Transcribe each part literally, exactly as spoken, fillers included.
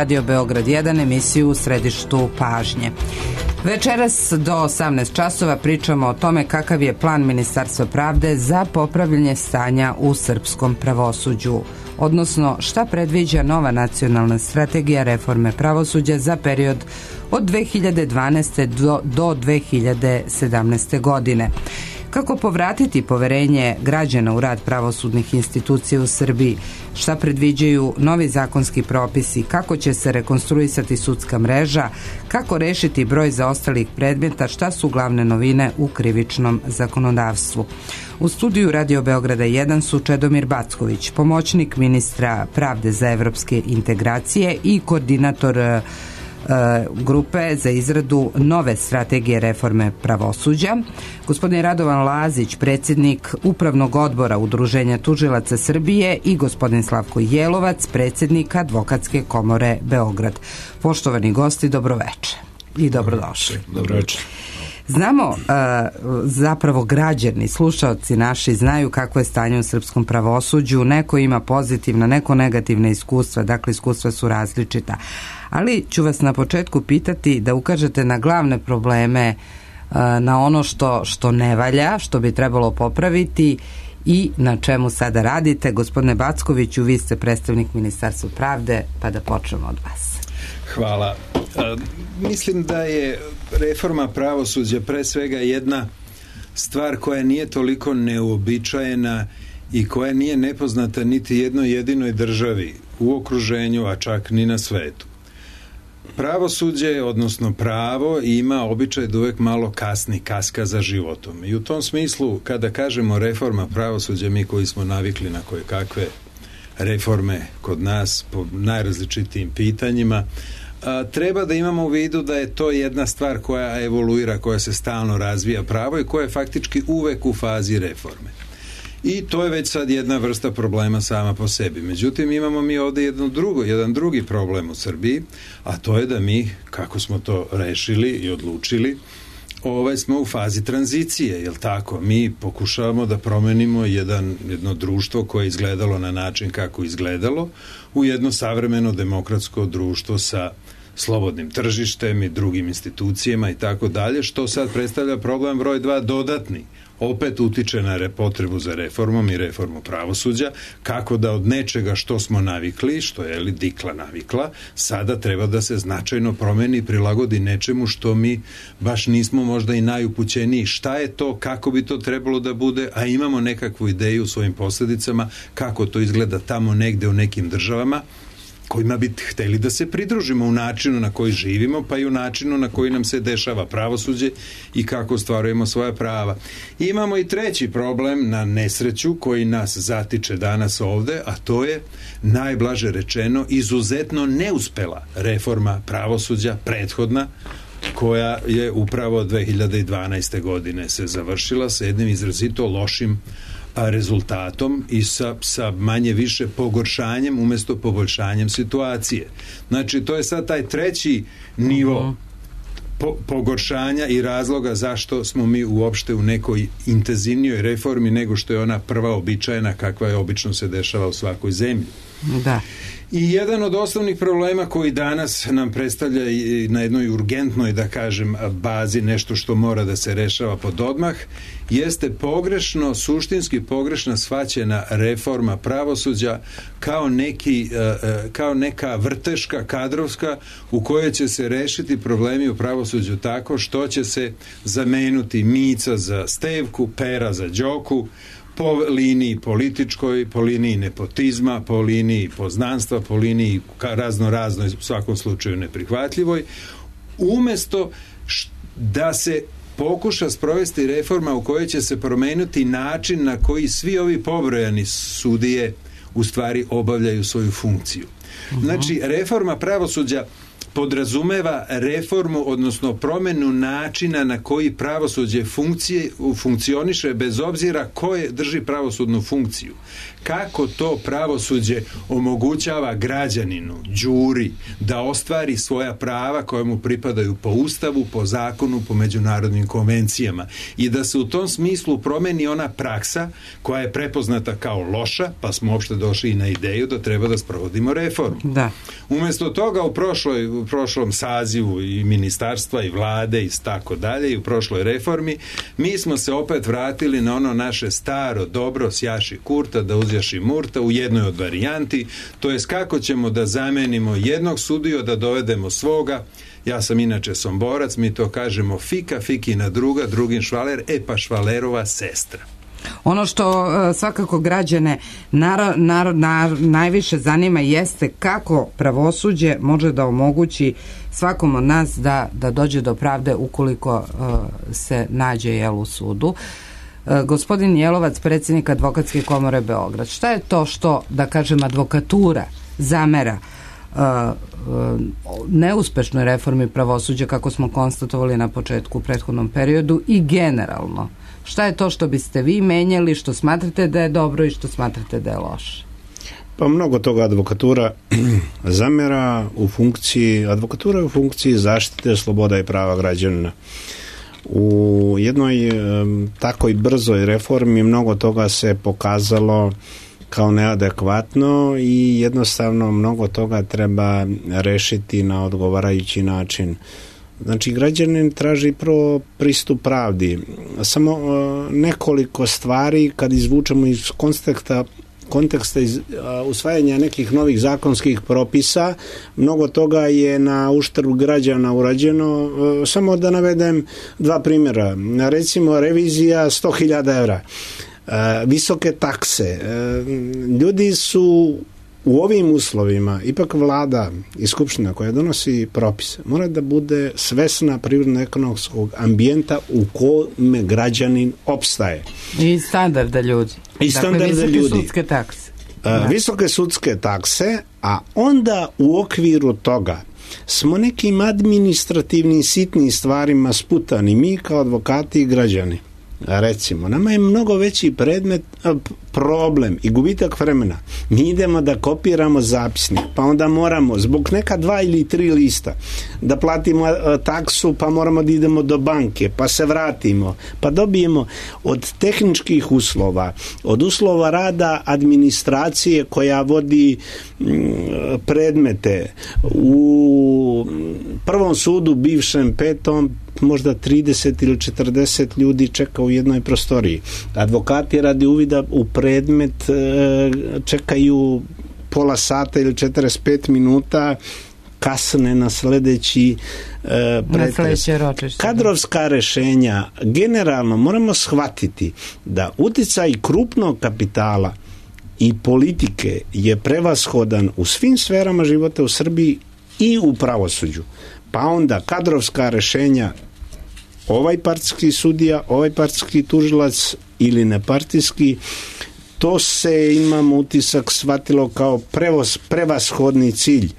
Radio Beograd jedan, emisiju u središtu pažnje. Večeras do osamnaest časova pričamo o tome kakav je plan Ministarstva pravde za popravljanje stanja u srpskom pravosuđu, odnosno šta predviđa nova nacionalna strategija reforme pravosuđa za period od dve hiljade dvanaeste. do, do dve hiljade sedamnaeste. godine. Kako povratiti poverenje građana u rad pravosudnih institucija u Srbiji, šta predviđaju novi zakonski propisi, kako će se rekonstruisati sudska mreža, kako rešiti broj zaostalih predmeta, šta su glavne novine u krivičnom zakonodavstvu. U studiju Radio Beograda jedan su Čedomir Backović, pomoćnik ministra pravde za evropske integracije i koordinator grupe za izradu nove strategije reforme pravosuđa, gospodin Radovan Lazić, predsjednik Upravnog odbora Udruženja tužilaca Srbije i gospodin Slavko Jelovac, predsjednik Advokatske komore Beograd. Poštovani gosti, dobroveče i dobrodošli. Dobroveče. Znamo, zapravo građani, slušaoci naši znaju kakvo je stanje u srpskom pravosuđu, neko ima pozitivna, neko negativna iskustva, dakle iskustva su različita. Ali ću vas na početku pitati da ukažete na glavne probleme, na ono što, što ne valja, što bi trebalo popraviti i na čemu sada radite. Gospodine Backoviću, vi ste predstavnik Ministarstva pravde, pa da počnemo od vas. Hvala. Mislim da je reforma pravosuđa pre svega jedna stvar koja nije toliko neuobičajena i koja nije nepoznata niti jednoj jedinoj državi u okruženju, a čak ni na svetu. Pravosuđe, odnosno pravo, ima običaj da uvek malo kasni, kaska za životom. I u tom smislu, kada kažemo reforma pravosuđa, mi koji smo navikli na koje kakve reforme kod nas po najrazličitijim pitanjima, a, treba da imamo u vidu da je to jedna stvar koja evoluira, koja se stalno razvija pravo i koja je faktički uvek u fazi reforme. I to je već sad jedna vrsta problema sama po sebi. Međutim, imamo mi ovde jedno drugo, jedan drugi problem u Srbiji, a to je da mi, kako smo to rešili i odlučili, ovaj smo u fazi tranzicije, jel tako? Mi pokušavamo da promenimo jedan, jedno društvo koje je izgledalo na način kako izgledalo u jedno savremeno demokratsko društvo sa slobodnim tržištem i drugim institucijama i tako dalje, što sad predstavlja problem broj dva, dodatni. Opet utiče na potrebu za reformom i reformu pravosuđa, kako da od nečega što smo navikli, što je li dikla navikla, sada treba da se značajno promeni i prilagodi nečemu što mi baš nismo možda i najupućeniji. Šta je to, kako bi to trebalo da bude, a imamo nekakvu ideju u svojim posljedicama, kako to izgleda tamo negde u nekim državama, kojima bi hteli da se pridružimo u načinu na koji živimo, pa i u načinu na koji nam se dešava pravosuđe i kako ostvarujemo svoja prava. Imamo i treći problem na nesreću koji nas zatiče danas ovde, a to je, najblaže rečeno, izuzetno neuspela reforma pravosuđa, prethodna, koja je upravo dve hiljade dvanaeste. godine se završila sa jednim izrazito lošim rezultatom i sa, sa manje više pogoršanjem umesto poboljšanjem situacije. Znači, to je sad taj treći nivo po, pogoršanja i razloga zašto smo mi uopšte u nekoj intenzivnijoj reformi nego što je ona prva običajna kakva je obično se dešava u svakoj zemlji. Da. I jedan od osnovnih problema koji danas nam predstavlja i na jednoj urgentnoj, da kažem, bazi, nešto što mora da se rešava pod odmah, jeste pogrešno, suštinski pogrešna shvaćena reforma pravosuđa kao, neki, kao neka vrteška kadrovska u kojoj će se rešiti problemi u pravosuđu tako što će se zamenuti Mica za Stevku, Pera za Đoku, po liniji političkoj, po liniji nepotizma, po liniji poznanstva, po liniji razno raznoj, u svakom slučaju neprihvatljivoj, umesto da se pokuša sprovesti reforma u kojoj će se promeniti način na koji svi ovi pobrojani sudije u stvari obavljaju svoju funkciju. Znači, reforma pravosuđa podrazumeva reformu, odnosno promjenu načina na koji pravosuđe funkcije, funkcioniše bez obzira ko je drži pravosudnu funkciju. Kako to pravosuđe omogućava građaninu, đuri, da ostvari svoja prava koja mu pripadaju po Ustavu, po zakonu, po međunarodnim konvencijama i da se u tom smislu promeni ona praksa koja je prepoznata kao loša, pa smo uopšte došli i na ideju da treba da sprovodimo reformu. Da. Umjesto toga u, prošloj, u prošlom sazivu i ministarstva i vlade i tako dalje i u prošloj reformi mi smo se opet vratili na ono naše staro dobro sjaši Kurta da uzjaši Murta u jednoj od varijanti, to jest kako ćemo da zamenimo jednog sudiju, da dovedemo svoga. Ja sam inače Somborac, mi to kažemo fika, fikina druga, drugin švaler, e pa švalerova sestra. Ono što uh, svakako građane naro, naro, nar, najviše zanima jeste kako pravosuđe može da omogući svakom od nas da, da dođe do pravde ukoliko uh, se nađe jel, u sudu. Uh, gospodin Jelovac, predsjednik Advokatske komore Beograd, šta je to što, da kažem, advokatura zamera uh, uh, neuspešnoj reformi pravosuđa, kako smo konstatovali na početku u prethodnom periodu, i generalno? Šta je to što biste vi menjali, što smatrate da je dobro i što smatrate da je loše? Pa mnogo toga advokatura zamjera u funkciji, advokatura je u funkciji zaštite sloboda i prava građana. U jednoj um, takoj brzoj reformi mnogo toga se pokazalo kao neadekvatno i jednostavno mnogo toga treba rešiti na odgovarajući način. Znači, građanin traži prvo pristup pravdi. Samo uh, nekoliko stvari kad izvučemo iz konteksta konteksta iz, uh, usvajanja nekih novih zakonskih propisa, mnogo toga je na uštrb građana urađeno. Uh, samo da navedem dva primjera. Recimo, revizija sto hiljada evra. Uh, visoke takse. Uh, ljudi su u ovim uslovima, ipak vlada i skupština koja donosi propise, mora da bude svesna prirodno-ekonomskog ambijenta u kome građanin opstaje. I standarda ljudi. I standarda dakle, visoke ljudi. sudske takse. Da. Visoke sudske takse, a onda u okviru toga smo nekim administrativnim sitnim stvarima sputani, mi kao advokati i građani. Recimo, nama je mnogo veći predmet, problem i gubitak vremena. Mi idemo da kopiramo zapisnik, pa onda moramo zbog neka dva ili tri lista da platimo taksu, pa moramo da idemo do banke, pa se vratimo, pa dobijemo od tehničkih uslova, od uslova rada administracije koja vodi predmete u prvom sudu, bivšem petom, možda trideset ili četrdeset ljudi čeka u jednoj prostoriji. Advokati radi uvida u predmet čekaju pola sata ili četrdeset pet minuta, kasne na sledeći e, pretres. Kadrovska rešenja, generalno moramo shvatiti da uticaj krupnog kapitala i politike je prevashodan u svim sferama života u Srbiji i u pravosuđu. Pa onda kadrovska rešenja, ovaj partijski sudija, ovaj partijski tužilac ili nepartijski, to se, imamo utisak, shvatilo kao prevoz, prevashodni cilj.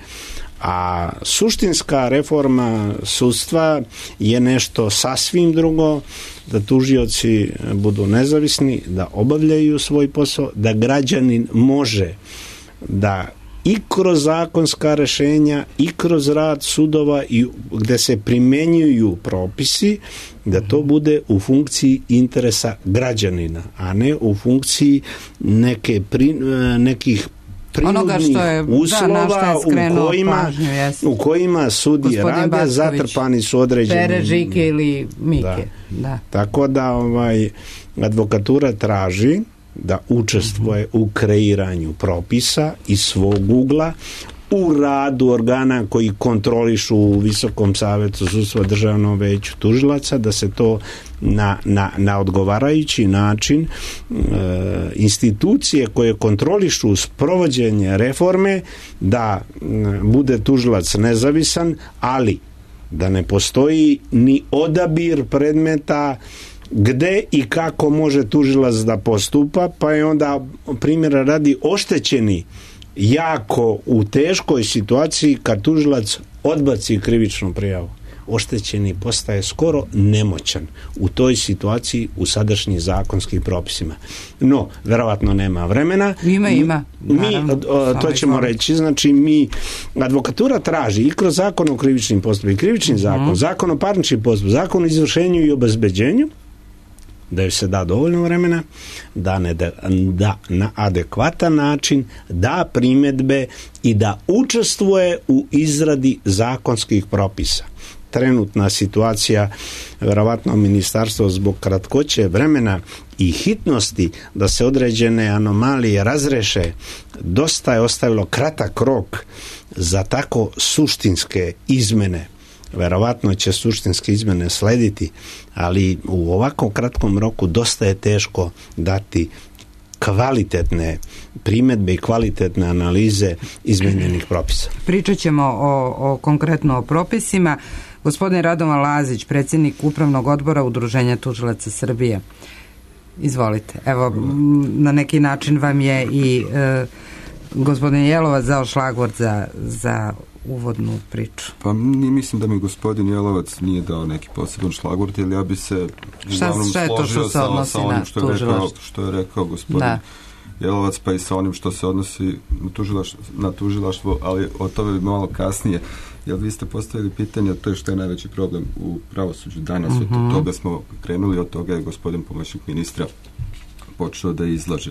A suštinska reforma sudstva je nešto sasvim drugo, da tužioci budu nezavisni, da obavljaju svoj posao, da građanin može da i kroz zakonska rešenja i kroz rad sudova i gde se primenjuju propisi, da to bude u funkciji interesa građanina, a ne u funkciji neke pri, nekih prinudnih uslova da, u kojima, pažnju, u kojima sudije rade, Basković, zatrpani su određeni Pere, Žike ili Mike. Da. Da. Tako da ovaj, advokatura traži da učestvuje uh-huh. u kreiranju propisa iz svog ugla, u radu organa koji kontrolišu u Visokom savetu sudstva, Državnom veću tužilaca, da se to na, na, na odgovarajući način e, institucije koje kontrolišu sprovođenje reforme, da m, bude tužilac nezavisan, ali da ne postoji ni odabir predmeta gde i kako može tužilac da postupa, pa je onda primjera radi oštećeni jako u teškoj situaciji kad tužilac odbaci krivičnu prijavu. Oštećeni postaje skoro nemoćan u toj situaciji u sadašnjim zakonskim propisima. No, verovatno nema vremena. Ima, ima. Mi, to ćemo reći, znači mi, advokatura traži i kroz zakon o krivičnim postupima, i krivični uh-huh. zakon, zakon o parničnim postupima, zakon o izvršenju i obezbeđenju, da joj se da dovoljno vremena, da, ne da, da na adekvatan način da primjedbe i da učestvuje u izradi zakonskih propisa. Trenutna situacija, verovatno ministarstvo zbog kratkoće vremena i hitnosti da se određene anomalije razreše, dosta je ostavilo kratak rok za tako suštinske izmene. Verovatno će suštinske izmene slediti, ali u ovako kratkom roku dosta je teško dati kvalitetne primjedbe i kvalitetne analize izmenjenih propisa. Pričat ćemo o, o konkretno o propisima. Gospodin Radovan Lazić, predsjednik Upravnog odbora Udruženja tužilaca Srbije. Izvolite. Evo, na neki način vam je i e, gospodin Jelovac dao šlagvort za, za uvodnu priču. Pa mislim da mi gospodin Jelovac nije dao neki poseban šlagvort, jer ja bi se uglavnom složio sa, sa onim što je, rekao, što je rekao gospodin da. Jelovac, pa i sa onim što se odnosi na tužilaštvo, na tužilaštvo, ali o tome bi malo kasnije. Jer vi ste postavili pitanje, to je što je najveći problem u pravosuđu danas. Uh-huh. Od toga smo krenuli, od toga je gospodin pomoćnik ministra počeo da izlaže.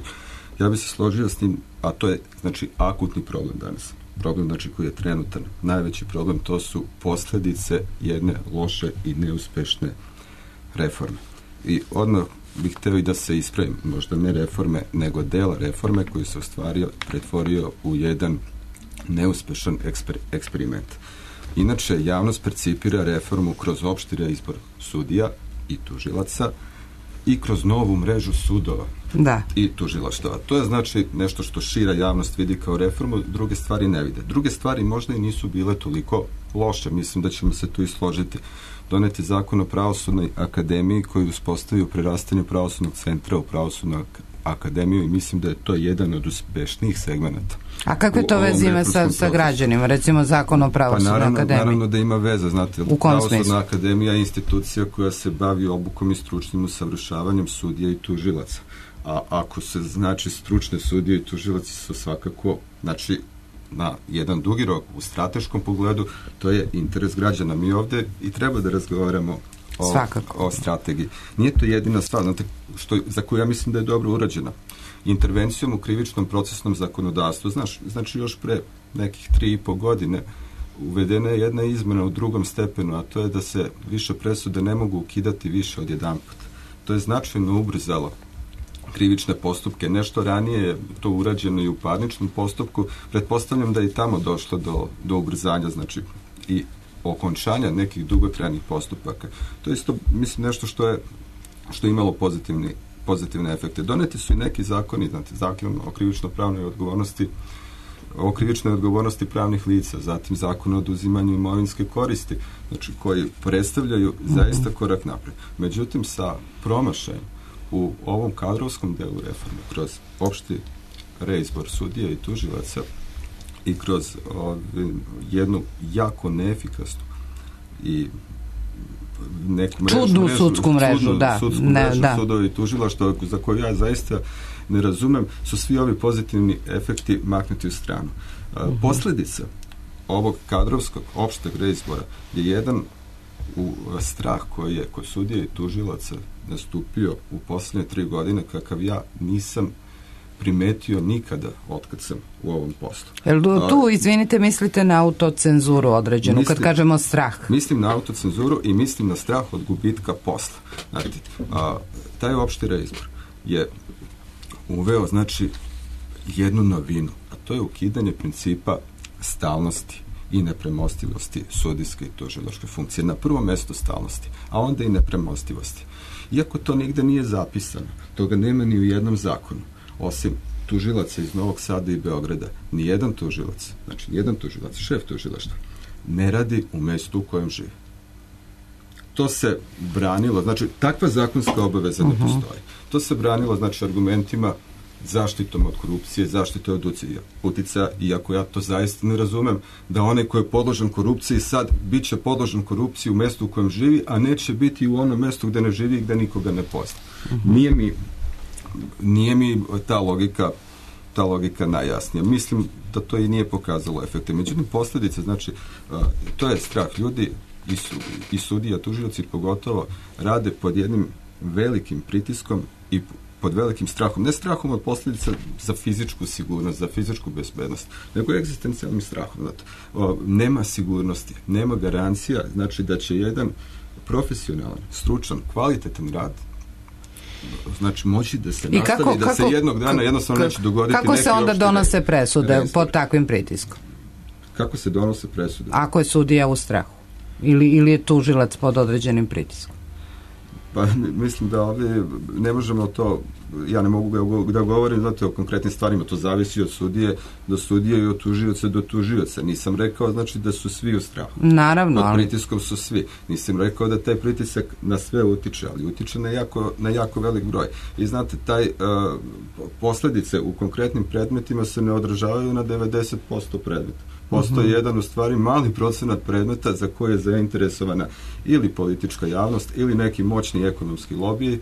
Ja bih se složio s njim, a to je znači akutni problem danas. Problem znači koji je trenutan. Najveći problem to su posljedice jedne loše i neuspešne reforme. I odmah bih htio i da se ispravim, možda ne reforme, nego dela reforme koji se ostvario, pretvorio u jedan neuspešan eksper, eksperiment. Inače, javnost percipira reformu kroz opšti reizbor sudija i tužilaca i kroz novu mrežu sudova da. I tužilaštava. To je znači nešto što šira javnost vidi kao reformu, druge stvari ne vide. Druge stvari možda i nisu bile toliko loše, mislim da ćemo se tu i složiti. Doneti zakon o pravosudnoj akademiji koji uspostavio prerastanje pravosudnog centra u pravosudnu akademiju i mislim da je to jedan od uspešnijih segmenata. A kakve to veze ima sa, sa građanima? Recimo zakon o pravosudnoj pa naravno, akademiji? Naravno da ima veze, znate. U kom smislu? Pravosudna akademija je institucija koja se bavi obukom i stručnim usavršavanjem sudija i tužilaca. A ako se znači stručne sudije i tužilaci su svakako, znači na jedan dugi rok u strateškom pogledu, to je interes građana. Mi ovdje i treba da razgovaramo o, o strategiji. Nije to jedina stvar, znate, što, za koju ja mislim da je dobro urađena. Intervencijom u krivičnom procesnom zakonodavstvu, znaš, znači još pre nekih tri i po godine uvedena je jedna izmena u drugom stepenu, a to je da se više presude ne mogu ukidati više od jedan put. To je značajno ubrzalo krivične postupke. Nešto ranije je to urađeno i u parničnom postupku. Pretpostavljam da je i tamo došlo do, do ubrzanja, znači i okončanja nekih dugotrajnih postupaka. To je isto, mislim, nešto što je što je imalo pozitivni, pozitivne efekte. Doneti su i neki zakoni, znate, zakon o krivično-pravnoj odgovornosti, o krivičnoj odgovornosti pravnih lica, zatim zakon o oduzimanju imovinske koristi, znači koji predstavljaju zaista korak napred. Međutim, sa promašajem u ovom kadrovskom delu reforme, kroz opšti reizbor sudija i tužilaca i kroz ovi, jednu jako neefikasnu i neku mrežu, čudnu mrežu, sudsku mrežu, čudnu, da. sudsku ne, mrežu da. sudova i tužilaštva, za koju ja zaista ne razumem, su svi ovi pozitivni efekti maknuti u stranu. Uh-huh. Posljedica ovog kadrovskog opšteg reizbora je jedan u strah koji je kod sudija i tužilaca nastupio u posljednje tri godine kakav ja nisam primetio nikada otkad sam u ovom poslu. Jel tu, izvinite, mislite na autocenzuru određenu, mislim, kad kažemo strah? Mislim na autocenzuru i mislim na strah od gubitka posla. Znači, a, taj opšti reizbor je uveo, znači, jednu novinu, a to je ukidanje principa stalnosti i nepremostivosti sudijske i tužilačke funkcije. Na prvom mjestu stalnosti, a onda i nepremostivosti. Iako to nigde nije zapisano, toga nema ni u jednom zakonu, osim tužilaca iz Novog Sada i Beograda, ni jedan tužilac, znači jedan tužilac, šef tužilaštva, ne radi u mjestu u kojem živi. To se branilo, znači takva zakonska obaveza uh-huh. ne postoji. To se branilo, znači, argumentima zaštitom od korupcije, zaštitom od uticaja, iako ja to zaista ne razumem, da onaj ko je podložen korupciji sad bit će podložen korupciji u mestu u kojem živi, a neće biti u onom mestu gde ne živi i gde nikoga ne pozna. Uh-huh. Nije mi, nije mi ta logika ta logika najjasnija. Mislim da to i nije pokazalo efekte. Međutim, posljedice, znači, to je strah. Ljudi i, su, i sudija, tužioci pogotovo, rade pod jednim velikim pritiskom i pod velikim strahom. Ne strahom od posljedica za fizičku sigurnost, za fizičku bezbednost, nego egzistencijalnim strahom. Znači, o, nema sigurnosti, nema garancija, znači da će jedan profesionalan, stručan, kvalitetan rad znači moći da se I nastavi, kako, da kako, se jednog dana jednostavno neće dogoditi kako neki se onda donose presude resor. Pod takvim pritiskom? Kako se donose presude? Ako je sudija u strahu ili, ili je tužilac pod određenim pritiskom? Pa mislim da ovdje ne možemo to, ja ne mogu da govorim znate, o konkretnim stvarima, to zavisi od sudije do sudije i od tužioca do tužioca. Nisam rekao znači da su svi u strahu. Naravno. Pod pritiskom su svi. Nisam rekao da taj pritisak na sve utiče, ali utiče na jako, na jako velik broj. I znate, taj uh, posljedice u konkretnim predmetima se ne odražavaju na devedeset posto predmeta. Postoji uh-huh. jedan u stvari mali procenat predmeta za koje je zainteresovana ili politička javnost ili neki moćni ekonomski lobiji e,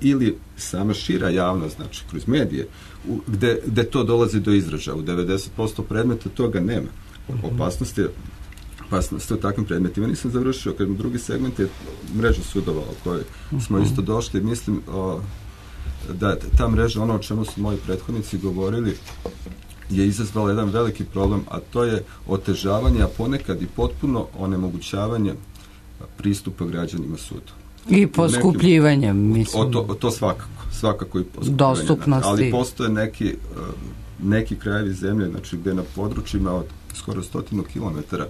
ili sama šira javnost, znači kroz medije, u, gde, gde to dolazi do izražaja. U devedeset posto predmeta toga nema. Opasnost je opasnost je u takvim predmetima. Nisam završio, kad drugi segment je mreža sudova o kojoj uh-huh. smo isto došli. Mislim o, da ta mreža, ono o čemu su moji prethodnici govorili, je izazvala jedan veliki problem, a to je otežavanje, a ponekad i potpuno onemogućavanje pristupa građanima sudu. I poskupljivanje, mislim. O to, o to svakako, svakako i poskupljivanje. Dostupnosti. Ali postoje neki, neki krajevi zemlje, znači gde na područjima od skoro stotinu kilometara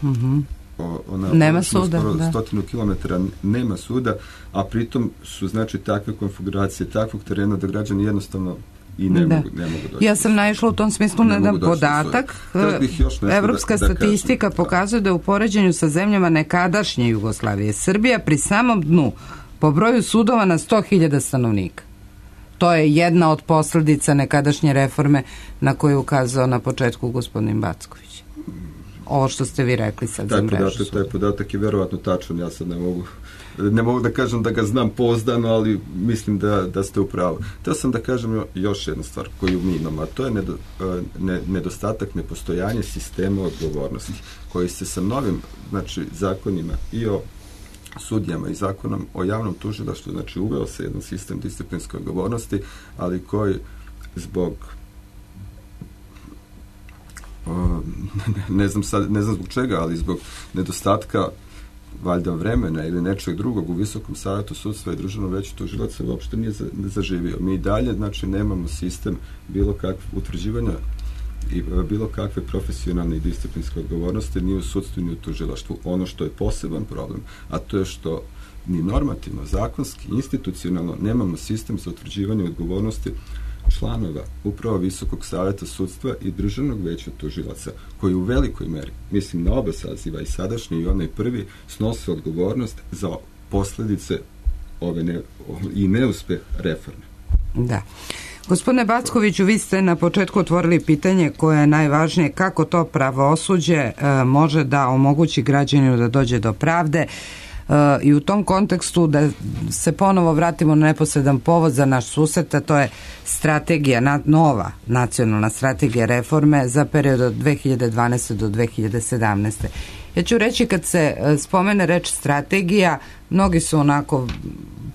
mm-hmm. o, ona, nema suda, skoro da. stotinu kilometara nema suda, a pritom su znači takve konfiguracije, takvog terena da građani jednostavno i ne mogu, ne mogu doći. Ja sam naišla u tom smislu na jedan podatak. Evropska da, da statistika kažem, pokazuje da u poređenju sa zemljama nekadašnje Jugoslavije Srbija pri samom dnu po broju sudova na sto hiljada stanovnika. To je jedna od posljedica nekadašnje reforme na koju je ukazao na početku gospodin Backović. Ovo što ste vi rekli sad taj za mrežu podatak, taj podatak je verovatno tačan, ja sad ne mogu ne mogu da kažem da ga znam pouzdano, ali mislim da, da ste u pravu. Teo sam da kažem još jednu stvar koju mi imamo, a to je nedo, ne, nedostatak, nepostojanje sistema odgovornosti, koji se sa novim znači, zakonima i o sudijama i zakonom o javnom tužilaštvu, znači uveo se jedan sistem disciplinske odgovornosti, ali koji zbog o, ne znam sad, ne znam zbog čega, ali zbog nedostatka valjda vremena ili nečeg drugog u Visokom savjetu sudstva i Državnom veću tužilaca uopšte nije za, ne zaživio. Mi dalje, znači, nemamo sistem bilo kakve utvrđivanja i bilo kakve profesionalne i disciplinske odgovornosti ni u sudstvu ni u tužilaštvu. Ono što je poseban problem, a to je što ni normativno, zakonski, institucionalno nemamo sistem za utvrđivanje odgovornosti članova upravo Visokog savjeta sudstva i Državnog veća tužilaca, koji u velikoj meri, mislim na oba saziva, i sadašnji i onaj prvi, snose odgovornost za posljedice ove ne, i neuspeh reforme. Da. Gospodine Backoviću, vi ste na početku otvorili pitanje koje je najvažnije, kako to pravosuđe e, može da omogući građaninu da dođe do pravde. I u tom kontekstu da se ponovo vratimo na neposredan povod za naš susret, a to je strategija, nova nacionalna strategija reforme za period od dve hiljade dvanaeste do dve hiljade sedamnaeste. Ja ću reći, kad se spomene reč strategija, mnogi su onako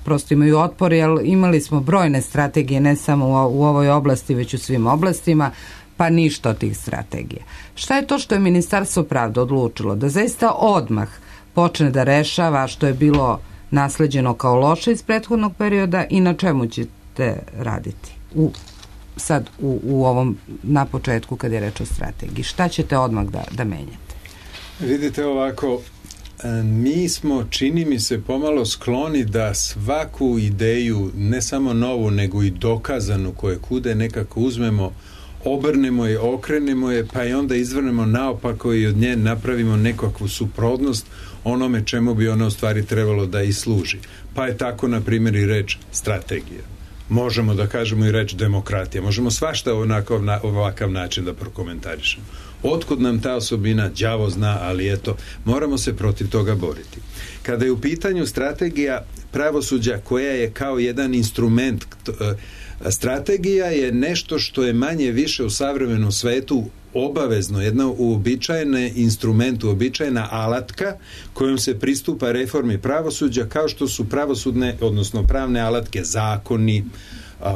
prosto imaju otpor, jer imali smo brojne strategije ne samo u ovoj oblasti, već u svim oblastima, pa ništa od tih strategija. Šta je to što je Ministarstvo pravde odlučilo? Da zaista odmah počne da rešava što je bilo nasleđeno kao loše iz prethodnog perioda i na čemu ćete raditi u, sad u, u ovom na početku kad je reč o strategiji? Šta ćete odmah da, da menjate? Vidite ovako, mi smo, čini mi se, pomalo skloni da svaku ideju, ne samo novu, nego i dokazanu koje kude, nekako uzmemo, obrnemo je, okrenemo je, pa i onda izvrnemo naopako i od nje napravimo nekakvu suprotnost onome čemu bi ona u stvari trebalo da i služi. Pa je tako, na primjer, i reč strategija. možemo da kažemo i reč demokratija, možemo svašta onako, na ovakav način da prokomentarišemo. Otkud nam ta osobina, đavo zna, ali eto, moramo se protiv toga boriti. Kada je u pitanju strategija pravosuđa koja je kao jedan instrument, strategija je nešto što je manje više u savremenom svetu obavezno, jedna uobičajena instrument, uobičajena alatka kojom se pristupa reformi pravosuđa, kao što su pravosudne, odnosno pravne alatke, zakoni,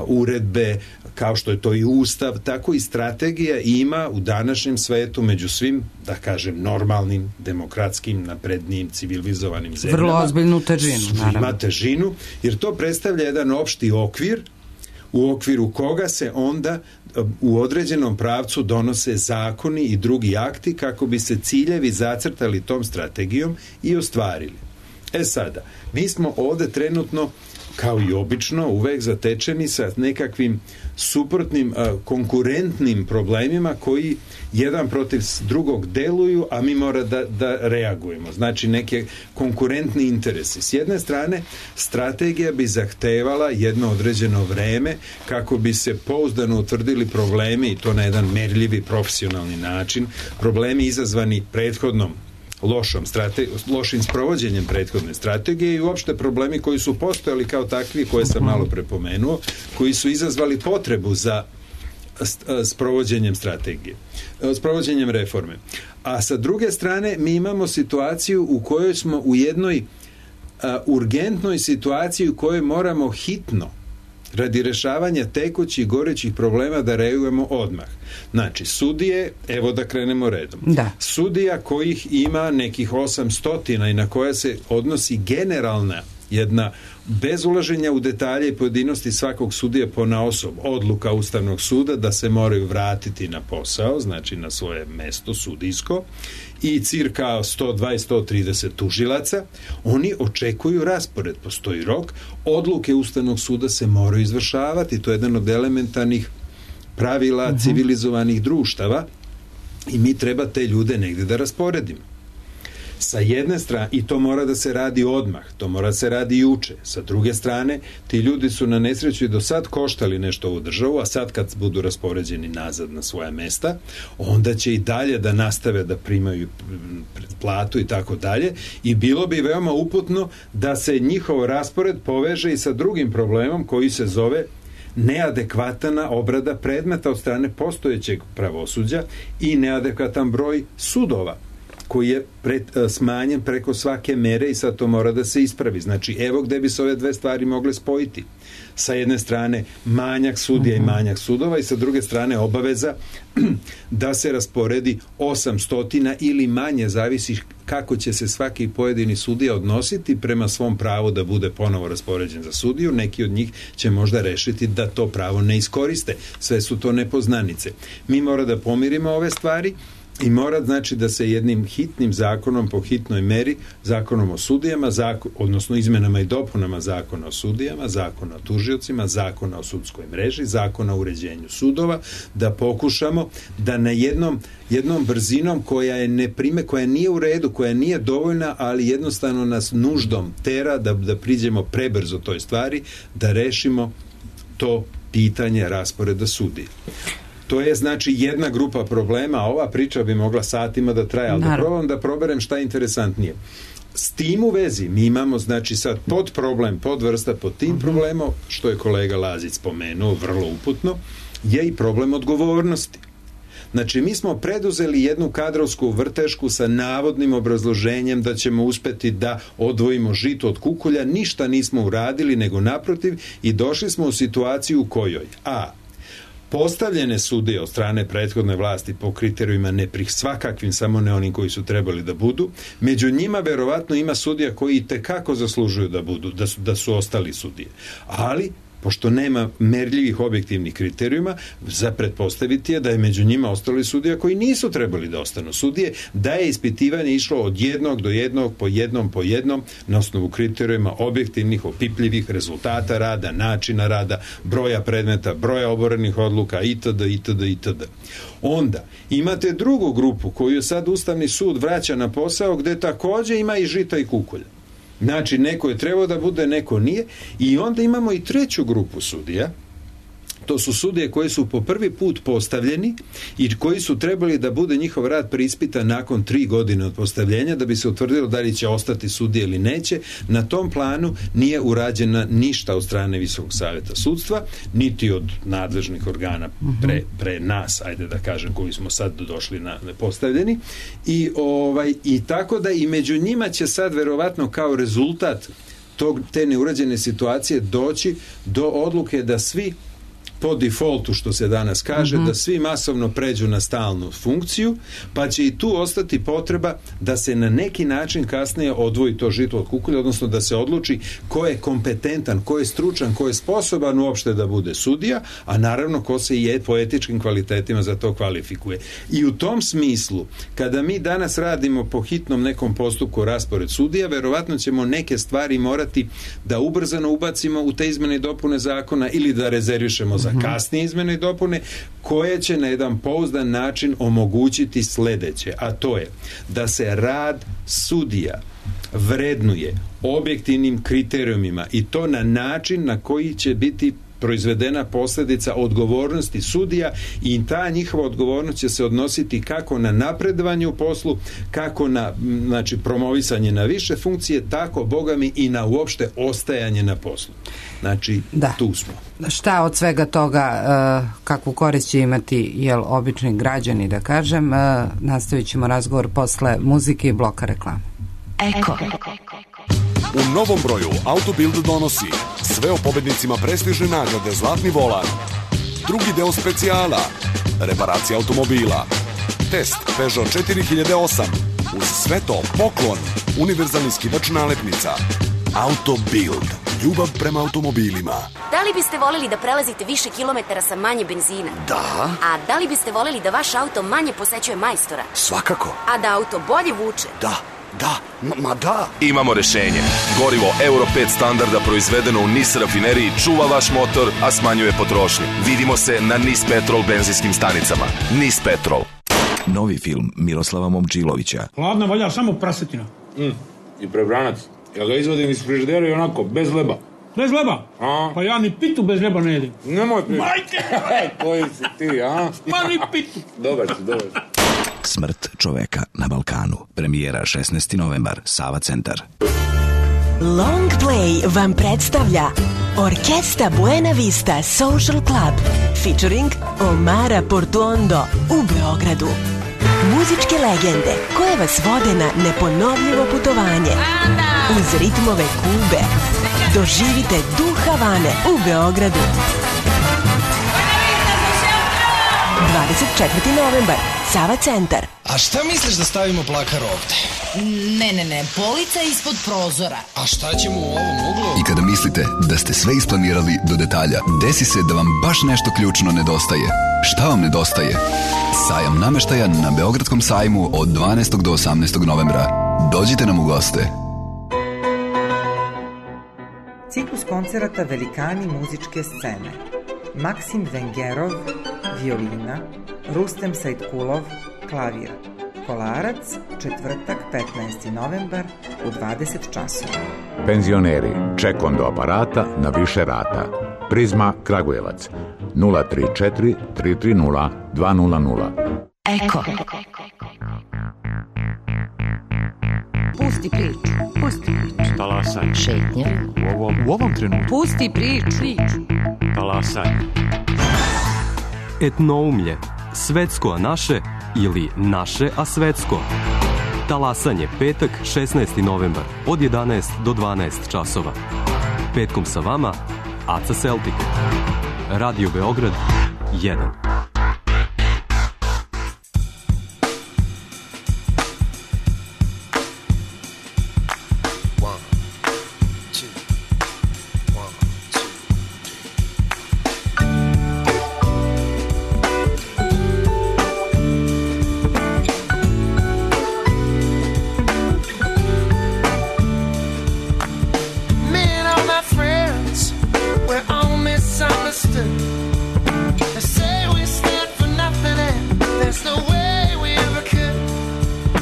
uredbe, kao što je to i ustav, tako i strategija ima u današnjem svetu među svim, da kažem, normalnim, demokratskim, naprednijim, civilizovanim zemljama. Vrlo ozbiljnu težinu, naravno. Ima težinu, jer to predstavlja jedan opšti okvir u okviru koga se onda u određenom pravcu donose zakoni i drugi akti kako bi se ciljevi zacrtali tom strategijom i ostvarili. E sada, mi smo ovde trenutno, kao i obično, uvek zatečeni sa nekakvim suprotnim, konkurentnim problemima koji jedan protiv drugog deluju, a mi mora da, da reagujemo. Znači, neke konkurentni interesi. S jedne strane, strategija bi zahtevala jedno određeno vreme kako bi se pouzdano utvrdili problemi, i to na jedan merljivi, profesionalni način, problemi izazvani prethodnom lošom strate, lošim sprovođenjem prethodne strategije i uopšte problemi koji su postojali kao takvi, koje sam malo prepomenuo, koji su izazvali potrebu za sprovođenjem strategije, sprovođenjem reforme. A sa druge strane, mi imamo situaciju u kojoj smo u jednoj a, urgentnoj situaciji u kojoj moramo hitno, radi rešavanja tekućih gorećih problema, da reagujemo odmah. Znači, sudije, evo da krenemo redom. Da. Sudija kojih ima nekih osamsto i na koja se odnosi generalna jedna, bez ulaženja u detalje i pojedinosti svakog sudija ponaosob, odluka Ustavnog suda da se moraju vratiti na posao, znači na svoje mesto sudijsko, i cirka sto dvadeset do sto trideset tužilaca, oni očekuju raspored, postoji rok, odluke Ustavnog suda se moraju izvršavati, to je jedan od elementarnih pravila uh-huh. civilizovanih društava i mi treba te ljude negde da rasporedimo. Sa jedne strane, i to mora da se radi odmah, to mora da se radi juče. Sa druge strane, ti ljudi su na nesreću i do sad koštali nešto ovu državu, a sad kad budu raspoređeni nazad na svoja mesta, onda će i dalje da nastave da primaju platu i tako dalje, i bilo bi veoma uputno da se njihov raspored poveže i sa drugim problemom koji se zove neadekvatna obrada predmeta od strane postojećeg pravosuđa i neadekvatan broj sudova koji je pred, smanjen preko svake mere i sad to mora da se ispravi. Znači, evo gde bi se ove dve stvari mogle spojiti. Sa jedne strane manjak sudija i manjak sudova i sa druge strane obaveza da se rasporedi osamsto ili manje, zavisi kako će se svaki pojedini sudija odnositi prema svom pravu da bude ponovo raspoređen za sudiju. Neki od njih će možda rešiti da to pravo ne iskoriste. Sve su to nepoznanice. Mi mora da pomirimo ove stvari i mora, znači, da se jednim hitnim zakonom po hitnoj meri, zakonom o sudijama, zakon, odnosno izmenama i dopunama zakona o sudijama, zakona o tužiocima, zakona o sudskoj mreži, zakona o uređenju sudova, da pokušamo da na jednom, jednom brzinom koja je neprime, koja nije u redu, koja nije dovoljna, ali jednostavno nas nuždom tera da, da priđemo prebrzo toj stvari, da rešimo to pitanje rasporeda sudija. To je, znači, jedna grupa problema, a ova priča bi mogla satima da traje, ali da probam da proberem šta je interesantnije. S tim u vezi mi imamo, znači, sad pod problem, pod vrsta, pod tim problemom, što je kolega Lazić spomenuo, vrlo uputno, je i problem odgovornosti. Znači, mi smo preduzeli jednu kadrovsku vrtešku sa navodnim obrazloženjem da ćemo uspeti da odvojimo žito od kukolja, ništa nismo uradili, nego naprotiv, i došli smo u situaciju u kojoj a postavljene sudije od strane prethodne vlasti po kriterijima neprih svakakvim, samo ne onim koji su trebali da budu. Među njima verovatno ima sudija koji i tekako zaslužuju da budu, da su, da su ostali sudije. Ali, pošto nema merljivih objektivnih kriterijuma, za pretpostaviti je da je među njima ostali sudija koji nisu trebali da ostanu sudije, da je ispitivanje išlo od jednog do jednog, po jednom, po jednom, na osnovu kriterijuma objektivnih, opipljivih rezultata rada, načina rada, broja predmeta, broja oborenih odluka, itd., itd., itd. Onda, imate drugu grupu koju sad Ustavni sud vraća na posao, gde takođe ima i žita i kukolja. Znači, neko je trebao da bude, neko nije. I onda imamo i treću grupu sudija. To su sudije koji su po prvi put postavljeni i koji su trebali da bude njihov rad preispitan nakon tri godine od postavljenja, da bi se utvrdilo da li će ostati sudije ili neće. Na tom planu nije urađena ništa od strane Visokog savjeta sudstva, niti od nadležnih organa pre, pre nas, ajde da kažem, koji smo sad došli na postavljeni. I, ovaj, i tako da i među njima će sad verovatno kao rezultat tog, te neurađene situacije doći do odluke da svi po defaultu, što se danas kaže, mm-hmm. da svi masovno pređu na stalnu funkciju, pa će i tu ostati potreba da se na neki način kasnije odvoji to žito od kukulja, odnosno da se odluči ko je kompetentan, ko je stručan, ko je sposoban uopšte da bude sudija, a naravno ko se je po etičkim kvalitetima za to kvalifikuje. I u tom smislu, kada mi danas radimo po hitnom nekom postupku raspored sudija, verovatno ćemo neke stvari morati da ubrzano ubacimo u te izmene i dopune zakona ili da rezervišemo za kasnije izmene i dopune, koje će na jedan pouzdan način omogućiti sledeće, a to je da se rad sudija vrednuje objektivnim kriterijumima i to na način na koji će biti proizvedena posljedica odgovornosti sudija i ta njihova odgovornost će se odnositi kako na napredovanje u poslu, kako na, znači, promovisanje na više funkcije, tako, boga mi, i na uopšte ostajanje na poslu. Znači, da. Tu smo. Šta od svega toga, uh, kakvu korist će imati, jel, obični građani, da kažem, uh, nastavit ćemo razgovor posle muzike i bloka reklame. Eko. U novom broju Autobild donosi sve o pobednicima prestižne nagrade Zlatni volan, drugi deo specijala, reparacija automobila, test Peugeot četiri hiljade osam, uz sve to poklon, univerzalni skivač nalepnica. Autobild, ljubav prema automobilima. Da li biste voleli da prelazite više kilometara sa manje benzina? Da. A da li biste voleli da vaš auto manje posećuje majstora? Svakako. A da auto bolje vuče? Da. Da, ma, ma da. Imamo rešenje. Gorivo Euro pet standarda proizvedeno u NIS rafineriji čuva vaš motor, a smanjuje potrošnju. Vidimo se na NIS Petrol benzinskim stanicama. NIS Petrol. Novi film Miroslava Momčilovića. Hladna valja samo prasetina. Mm. I prebranac. Ja ga izvodim iz frižidera i onako, bez leba. Bez leba? A? Pa ja ni pitu bez leba ne jedim. Nemoj pitu. Majke! Koji si ti, a? Pa ni pitu. Dobar si, dobar si. Smrt čoveka na Balkanu. Premijera šesnaesti novembar, Sava centar. Long Play vam predstavlja Orkesta Buena Vista Social Club featuring Omara Portuondo u Beogradu. Muzičke legende koje vas vode na neponovljivo putovanje uz ritmove Kube. Doživite duh Havane u Beogradu. dvadeset četvrti novembar, Sava centar. A šta misliš da stavimo plakar ovde? Ne, ne, ne, polica ispod prozora. A šta ćemo u ovom uglu? I kada mislite da ste sve isplanirali do detalja, desi se da vam baš nešto ključno nedostaje. Šta vam nedostaje? Sajam nameštaja na Beogradskom sajmu od dvanaestog do osamnaestog novembra. Dođite nam u goste. Ciklus koncerata Velikani muzičke scene. Maksim Vengerov, violina, Rustem Sajtkulov, klavir. Kolarac, četvrtak, petnaesti novembar u dvadeset časova. Penzioneri, ček do aparata na više rata. Prizma Kragujevac, nula tri četiri tri tri nula dva nula nula. Eko. Pusti priču, pusti priču. Talasaj. Šetnja. U ovom, u ovom trenutku. Pusti priču. Talasaj. Etnoumlje. Svetsko a naše ili naše a svetsko. Talasanje, petak, šesnaesti novembar, od jedanaest do dvanaest časova. Petkom sa vama, Aca Celtic. Radio Beograd, jedan.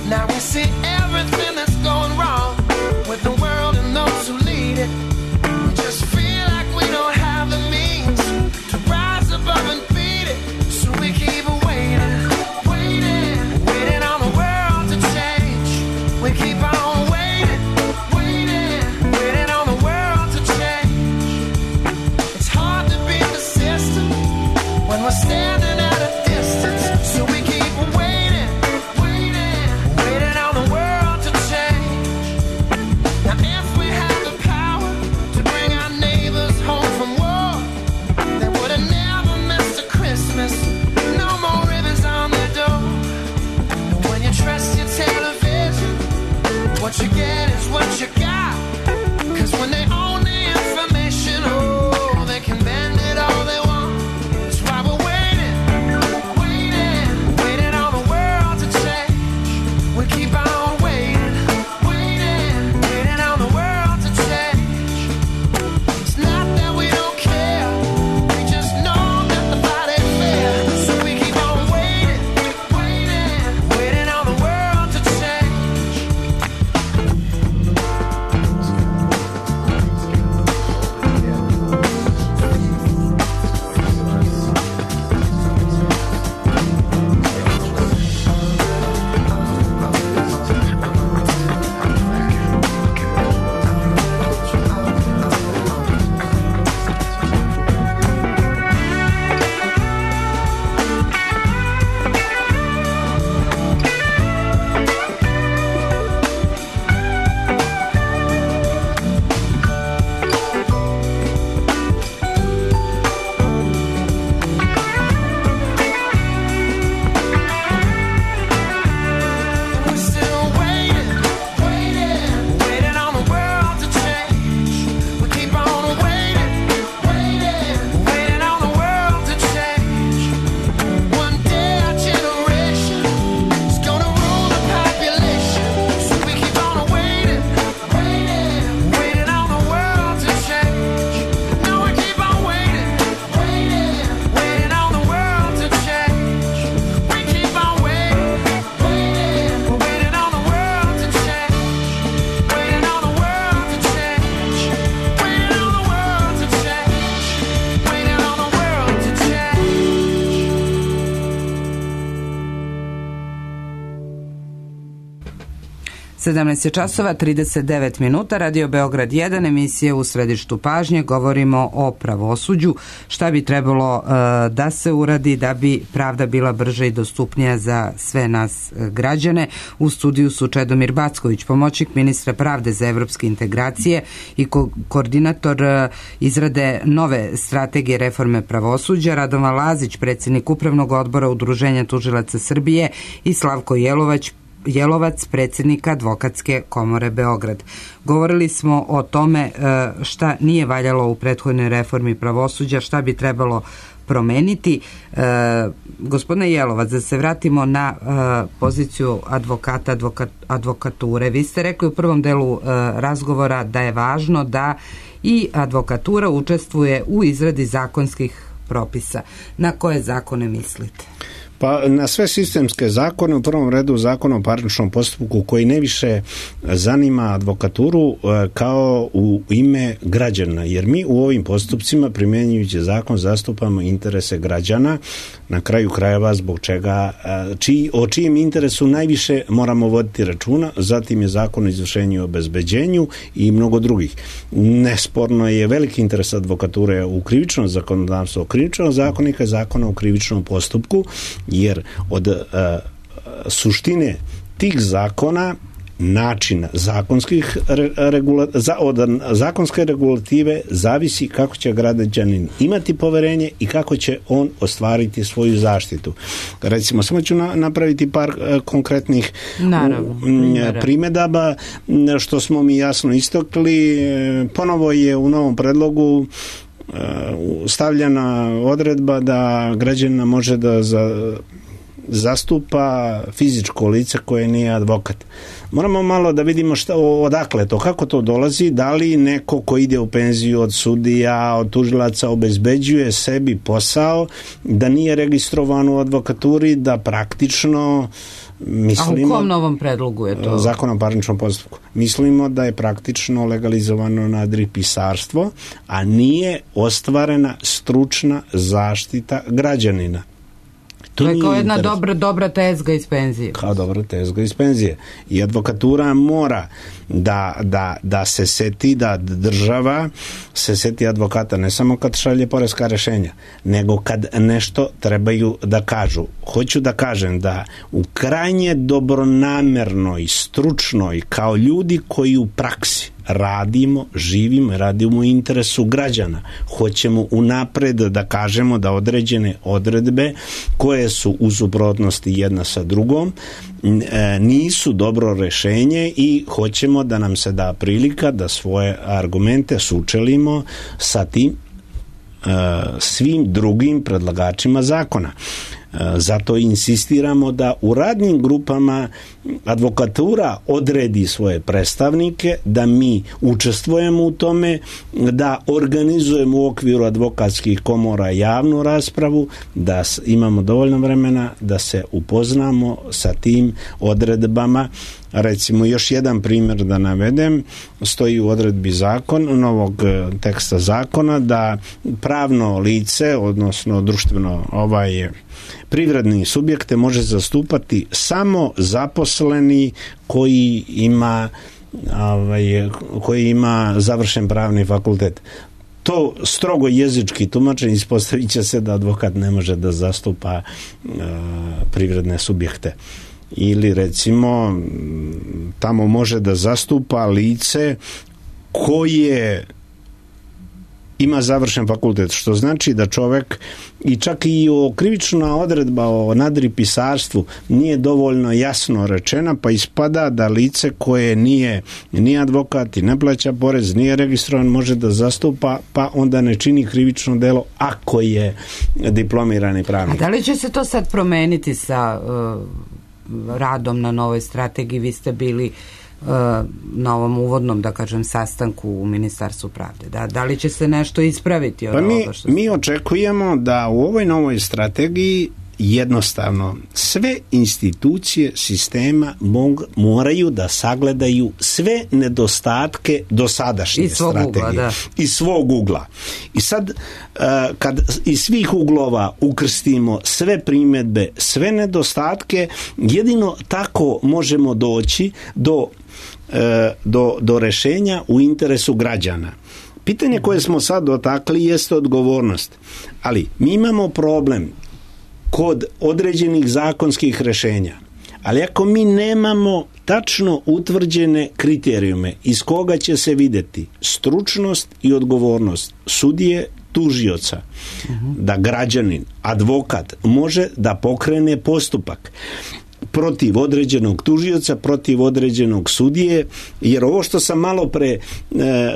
Now we see everything that's going wrong with the world and What you get is what you got. Cause when they own the information, oh, they can bend it all they want. That's why we're waiting, waiting, waiting on the world to change. We keep on waiting, waiting, waiting on the world to change. It's not that we don't care, we just know that the fight ain't fair. So we keep on waiting, waiting, waiting on the world to change. We're still waiting, waiting, waiting on the world to change. We keep on waiting, waiting, waiting on the world to change. One day our generation is gonna rule the population. So we keep on waiting, waiting, waiting on the world to change. No, we keep on waiting, waiting, waiting on the world to change. We keep on waiting, waiting, waiting on the world to change. Waiting on the world to change. Waiting on the world to change. Waiting on the world to change. sedamnaest je časova trideset devet minuta, Radio Beograd jedan, emisija U središtu pažnje. Govorimo o pravosuđu, šta bi trebalo e, da se uradi da bi pravda bila brža i dostupnija za sve nas e, građane. U studiju su Čedomir Backović, pomoćnik ministra pravde za evropske integracije i ko- koordinator e, izrade nove strategije reforme pravosuđa, Radovan Lazić, predsjednik Upravnog odbora Udruženja tužilaca Srbije i Slavko Jelovać, Jelovac, predsjednika Advokatske komore Beograd. Govorili smo o tome šta nije valjalo u prethodnoj reformi pravosuđa, šta bi trebalo promeniti. E, gospodine Jelovac, da se vratimo na e, poziciju advokata, advokat, advokature. Vi ste rekli u prvom delu e, razgovora da je važno da i advokatura učestvuje u izradi zakonskih propisa. Na koje zakone mislite? Pa na sve sistemske zakone, u prvom redu zakon o parničnom postupku koji ne više zanima advokaturu kao u ime građana, jer mi u ovim postupcima primjenjujući zakon zastupamo interese građana, na kraju krajeva zbog čega čiji, o čijem interesu najviše moramo voditi računa. Zatim je zakon o izvršenju i obezbeđenju i mnogo drugih. Nesporno je veliki interes advokature u krivičnom zakonodavstvu, krivičnog zakonika i zakona o krivičnom postupku, jer od uh, suštine tih zakona, načina zakonskih regula, za, od zakonske regulative zavisi kako će građanin imati poverenje i kako će on ostvariti svoju zaštitu. Recimo, samo ću na, napraviti par uh, konkretnih Naravno, primjedaba, što smo mi jasno istokli. Ponovo je u novom predlogu stavljena odredba da građanina može da za, zastupa fizičko lice koje nije advokat. Moramo malo da vidimo šta, odakle to, kako to dolazi, da li neko ko ide u penziju od sudija, od tužilaca obezbeđuje sebi posao, da nije registrovan u advokaturi, da praktično mislimo... A u kom novom predlogu je to? Zakon o parničnom postupku. Mislimo da je praktično legalizovano nadripisarstvo, a nije ostvarena stručna zaštita građanina. To, to je kao jedna dobra, dobra tezga iz penzije. Kao dobra tezga iz penzije. I advokatura mora da, da, da se seti, da država se seti advokata ne samo kad šalje poreska rešenja, nego kad nešto trebaju da kažu. Hoću da kažem da u krajnje dobronamernoj, stručnoj, kao ljudi koji u praksi radimo, živimo, radimo u interesu građana. Hoćemo unapred da kažemo da određene odredbe koje su u suprotnosti jedna sa drugom, nisu dobro rešenje i hoćemo da nam se da prilika da svoje argumente sučelimo sa tim svim drugim predlagačima zakona. Zato insistiramo da u radnim grupama advokatura odredi svoje predstavnike, da mi učestvujemo u tome, da organizujemo u okviru advokatskih komora javnu raspravu, da imamo dovoljno vremena da se upoznamo sa tim odredbama. Recimo, još jedan primjer da navedem, stoji u odredbi zakon, novog teksta zakona, da pravno lice, odnosno društveno ovaj privredni subjekte može zastupati samo zaposleni koji ima ovaj, koji ima završen pravni fakultet. To strogo jezički tumačenje, ispostavit će se da advokat ne može da zastupa uh, privredne subjekte. Ili recimo tamo može da zastupa lice koje ima završen fakultet, što znači da čovek, i čak i o krivična odredba o nadripisarstvu nije dovoljno jasno rečena, pa ispada da lice koje nije ni advokat i ne plaća porez, nije registrovan, može da zastupa, pa onda ne čini krivično delo ako je diplomirani pravnik. A da li će se to sad promeniti sa uh, radom na novoj strategiji? Vi ste bili na ovom uvodnom, da kažem, sastanku u Ministarstvu pravde. Da, da li će se nešto ispraviti od pa mi, ovoga što... Mi očekujemo da u ovoj novoj strategiji jednostavno sve institucije sistema mog, moraju da sagledaju sve nedostatke dosadašnje strategije. Ugla, da. Iz svog ugla. I sad, kad iz svih uglova ukrstimo sve primjedbe, sve nedostatke, jedino tako možemo doći do Do, do rešenja u interesu građana. Pitanje koje smo sad dotakli jeste odgovornost. Ali mi imamo problem kod određenih zakonskih rešenja. Ali ako mi nemamo tačno utvrđene kriterijume iz koga će se videti stručnost i odgovornost sudije, tužioca, uh-huh. da građanin, advokat može da pokrene postupak protiv određenog tužioca, protiv određenog sudije, jer ovo što sam malo pre,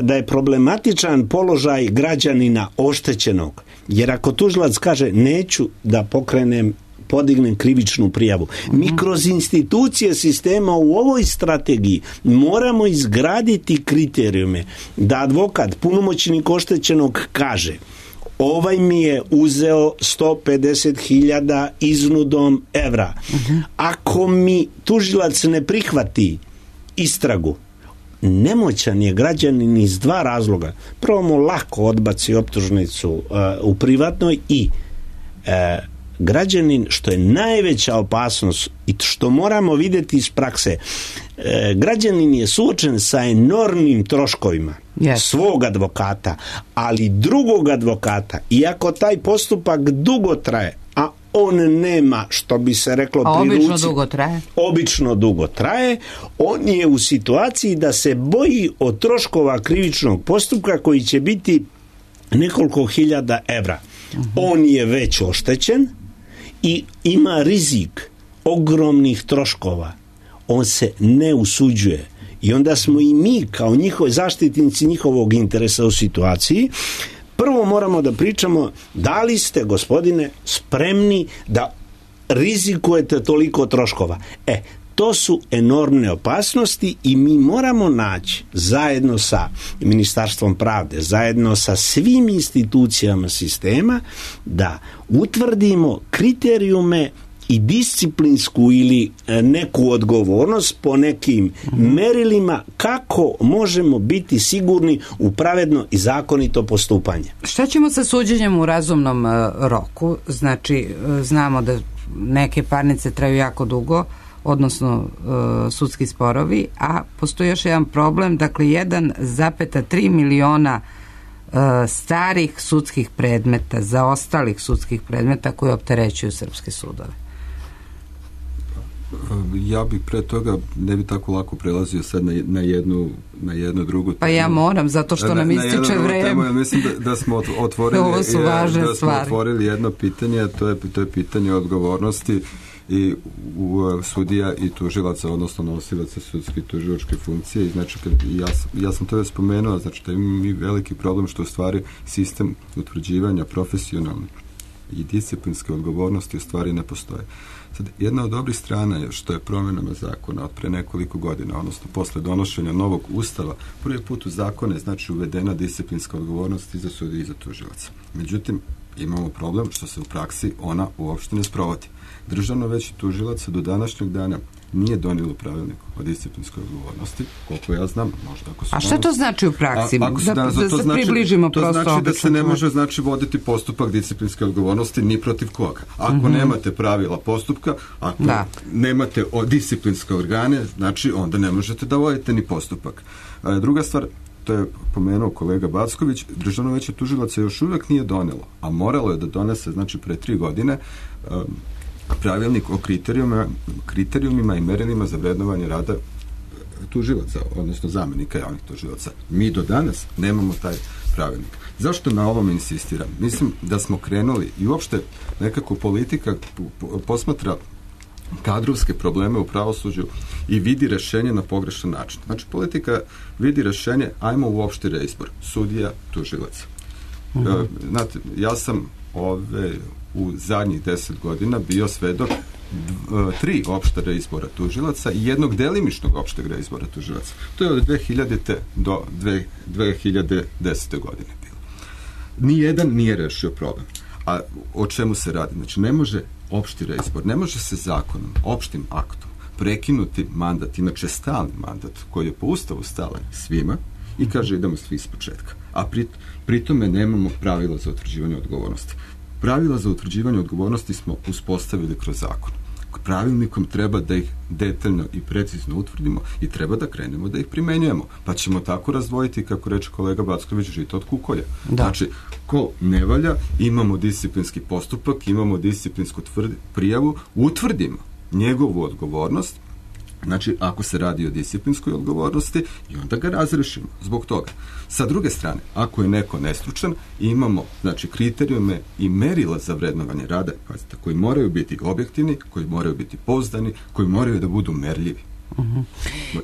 da je problematičan položaj građanina oštećenog, jer ako tužilac kaže neću da pokrenem, podignem krivičnu prijavu. Mi kroz institucije sistema u ovoj strategiji moramo izgraditi kriterijume da advokat, punomoćnik oštećenog kaže ovaj mi je uzeo sto pedeset hiljada iznudom evra. Uh-huh. Ako mi tužilac ne prihvati istragu, nemoćan je građanin iz dva razloga. Prvo mu lako odbaci optužnicu uh, u privatnoj i uh, građanin, što je najveća opasnost i što moramo vidjeti iz prakse, uh, građanin je suočen sa enormnim troškovima yes. svog advokata, ali drugog advokata, iako taj postupak dugo traje, a on nema, što bi se reklo a pri ruci, obično dugo traje. Obično dugo traje, on je u situaciji da se boji od troškova krivičnog postupka koji će biti nekoliko hiljada evra. Uh-huh. On je već oštećen i ima rizik ogromnih troškova. On se ne usuđuje. I onda smo i mi kao njihovi zaštitnici njihovog interesa u situaciji. Prvo moramo da pričamo da li ste, gospodine, spremni da rizikujete toliko troškova. E, to su enormne opasnosti i mi moramo naći zajedno sa Ministarstvom pravde, zajedno sa svim institucijama sistema da utvrdimo kriterijume i disciplinsku ili neku odgovornost po nekim mm-hmm. merilima kako možemo biti sigurni u pravedno i zakonito postupanje. Šta ćemo sa suđenjem u razumnom uh, roku? Znači, uh, znamo da neke parnice traju jako dugo, odnosno uh, sudski sporovi, a postoji još jedan problem, dakle jedan zarez tri miliona uh, starih sudskih predmeta, zaostalih sudskih predmeta koji opterećuju srpske sudove. Ja bih pre toga ne bi tako lako prelazio sad na, na jednu na jednu drugu temu. Pa ja moram, zato što nam ističe vreme. Ja mislim da, da smo otvorili, Ovo su važne da smo stvari. otvorili jedno pitanje, a to je, to je pitanje odgovornosti i u sudija i tužilaca, odnosno nosilaca sudske i tužilačke funkcije. I znači, kad, ja, ja sam to već spomenuo, znači da imamo mi veliki problem što u stvari sistem utvrđivanja profesionalne i disciplinske odgovornosti u stvari ne postoje. Sad, jedna od dobrih strana je što je promjenama zakona od pre nekoliko godina, odnosno posle donošenja novog ustava, prvi put u zakone znači uvedena disciplinska odgovornost i za sudije i za tužilaca. Međutim, imamo problem što se u praksi ona uopšte ne sprovodi. Državno veće tužilaca do današnjeg dana nije donijelo pravilnik o disciplinskoj odgovornosti, koliko ja znam, možda ako su... A šta to znači u praksi? A, da, da, da se znači, približimo to prosto... To znači da se ne čovjek. može znači, voditi postupak disciplinske odgovornosti ni protiv koga. Ako mm-hmm. nemate pravila postupka, ako da. nemate o, disciplinske organe, znači onda ne možete da vodite ni postupak. A, druga stvar, to je pomenuo kolega Backović, Državno veće tužilaca još uvijek nije donelo, a moralo je da donese, znači, pre tri godine um, pravilnik o kriterijumima, kriterijumima i merilima za vrednovanje rada tužilaca, odnosno zamenika javnih tužilaca. Mi do danas nemamo taj pravilnik. Zašto na ovom insistiram? Mislim da smo krenuli i uopšte nekako politika posmatra kadrovske probleme u pravosuđu i vidi rešenje na pogrešan način. Znači, politika vidi rešenje, ajmo uopšte reizbor sudija, tužilaca. Mm-hmm. E, znate, ja sam ove u zadnjih deset godina bio svedok dv, tri opšta reizbora tužilaca i jednog delimičnog opšteg reizbora tužilaca. To je od dve hiljadite do dve hiljade desete godine bilo. Nijedan nije rešio problem. A o čemu se radi? Znači, ne može opšti reizbor, ne može se zakonom, opštim aktom prekinuti mandat, inače stalni mandat koji je po ustavu stalan svima i kaže idemo svi iz početka. A pri, pri tome nemamo pravila za utvrđivanje odgovornosti. Pravila za utvrđivanje odgovornosti smo uspostavili kroz zakon. Pravilnikom treba da ih detaljno i precizno utvrdimo i treba da krenemo da ih primenjujemo. Pa ćemo tako razdvojiti, kako reče kolega Backović, žito od kukolja. Da. Znači, ko ne valja, imamo disciplinski postupak, imamo disciplinsku tvrdi, prijavu, utvrdimo njegovu odgovornost, znači, ako se radi o disciplinskoj odgovornosti, i onda ga razrešimo zbog toga. Sa druge strane, ako je neko nestručan, imamo, znači, kriterijume i merila za vrednovanje rada, pazite, koji moraju biti objektivni, koji moraju biti pouzdani, koji moraju da budu merljivi. Uh-huh.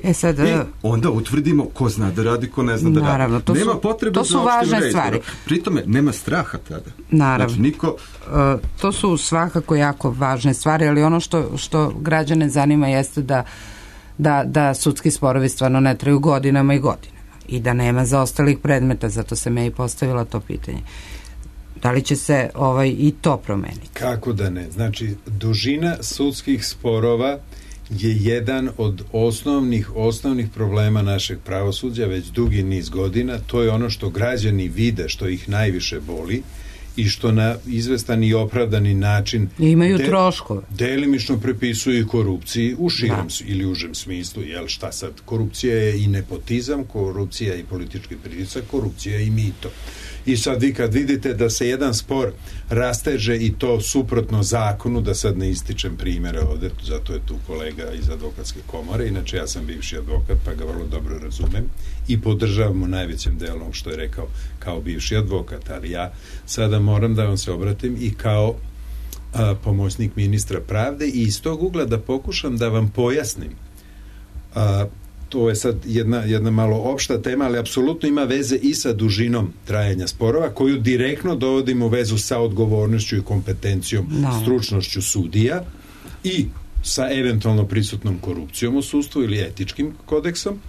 E sad, i onda utvrdimo ko zna da radi, ko ne zna da naravno, radi. To nema su, potrebe to su za opštim važne stvari. reizborom. Pritome, nema straha tada. Naravno. Znači, niko... Uh, to su svakako jako važne stvari, ali ono što, što građane zanima jeste da, da, da sudski sporovi stvarno ne traju godinama i godinama i da nema zaostalih predmeta, zato sam ja i postavila to pitanje. Da li će se ovaj, i to promeniti? Kako da ne? Znači, dužina sudskih sporova je jedan od osnovnih osnovnih problema našeg pravosuđa već dugi niz godina. To je ono što građani vide, što ih najviše boli i što na izvestan i opravdani način I imaju de, troškove. Delimično prepisuju korupciji u širem da. ili užem smislu. Jel šta sad? Korupcija je i nepotizam, korupcija je i politički pritisak, korupcija je i mito. I sad vi kad vidite da se jedan spor rasteže i to suprotno zakonu, da sad ne ističem primjere ovde, zato je tu kolega iz advokatske komore, inače ja sam bivši advokat pa ga vrlo dobro razumem i podržavamo najvećem delom što je rekao kao bivši advokat, ali ja sada moram da vam se obratim i kao a, pomoćnik ministra pravde i iz tog ugla da pokušam da vam pojasnim a, to je sad jedna, jedna malo opšta tema, ali apsolutno ima veze i sa dužinom trajanja sporova, koju direktno dovodimo u vezu sa odgovornošću i kompetencijom, no. stručnošću sudija i sa eventualno prisutnom korupcijom u sudstvu ili etičkim kodeksom,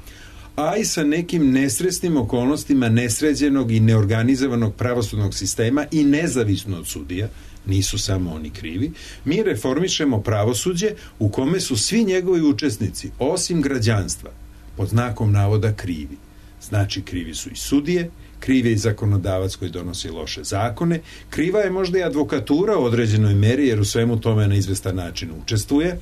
a i sa nekim nesresnim okolnostima nesređenog i neorganizovanog pravosudnog sistema i nezavisno od sudija, nisu samo oni krivi, mi reformišemo pravosuđe u kome su svi njegovi učesnici, osim građanstva, pod znakom navoda krivi. Znači, krivi su i sudije, kriv je i zakonodavac koji donosi loše zakone, kriva je možda i advokatura u određenoj meri, jer u svemu tome na izvestan način učestvuje,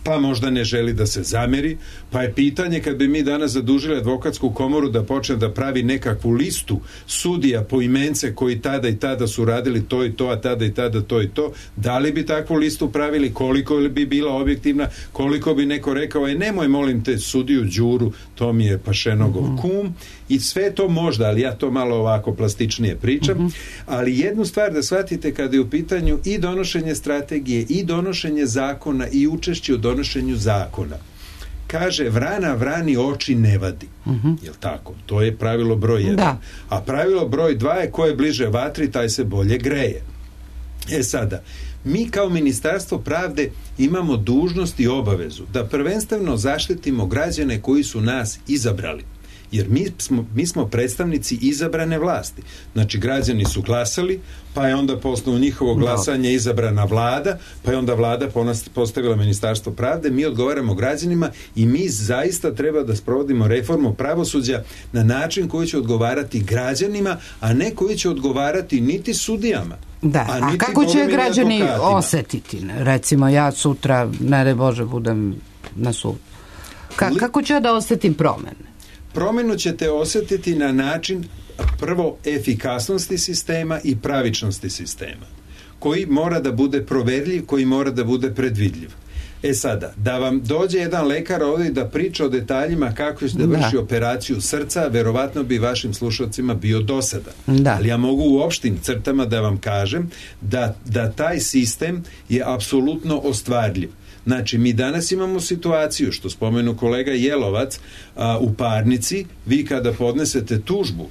pa možda ne želi da se zameri, pa je pitanje kad bi mi danas zadužili advokatsku komoru da počne da pravi nekakvu listu sudija po imence koji tada i tada su radili to i to, a tada i tada to i to, da li bi takvu listu pravili, koliko bi bila objektivna, koliko bi neko rekao, e nemoj molim te sudiju Đuru, to mi je Pašenogov mm-hmm. kum, i sve to možda, ali ja to malo ovako plastičnije pričam, mm-hmm. ali jednu stvar da shvatite kada je u pitanju i donošenje strategije i donošenje zakona i učešće u donošenju zakona. Kaže, vrana vrani oči ne vadi. Uh-huh. Jel tako? To je pravilo broj jedan. Da. A pravilo broj dva je ko je bliže vatri, taj se bolje greje. E sada, mi kao Ministarstvo pravde imamo dužnost i obavezu da prvenstveno zaštitimo građane koji su nas izabrali. Jer mi smo, mi smo predstavnici izabrane vlasti. Znači, građani su glasali, pa je onda po osnovu njihovog glasanja izabrana vlada, pa je onda vlada postavila Ministarstvo pravde, mi odgovaramo građanima i mi zaista treba da sprovodimo reformu pravosuđa na način koji će odgovarati građanima, a ne koji će odgovarati niti sudijama. Da, a, a kako će građani osetiti? Recimo, ja sutra, ne daj Bože, budem na sudu. Ka, kako ću ja da osetim promene? Promjenu ćete osjetiti na način prvo efikasnosti sistema i pravičnosti sistema, koji mora da bude proverljiv, koji mora da bude predvidljiv. E sada, da vam dođe jedan lekar ovdje da priča o detaljima kako će da vrši da. operaciju srca, verovatno bi vašim slušalcima bio dosadan. Da. Ali ja mogu u opštim crtama da vam kažem da, da taj sistem je apsolutno ostvarljiv. Znači, mi danas imamo situaciju, što spomenu kolega Jelovac, a, u parnici, vi kada podnesete tužbu,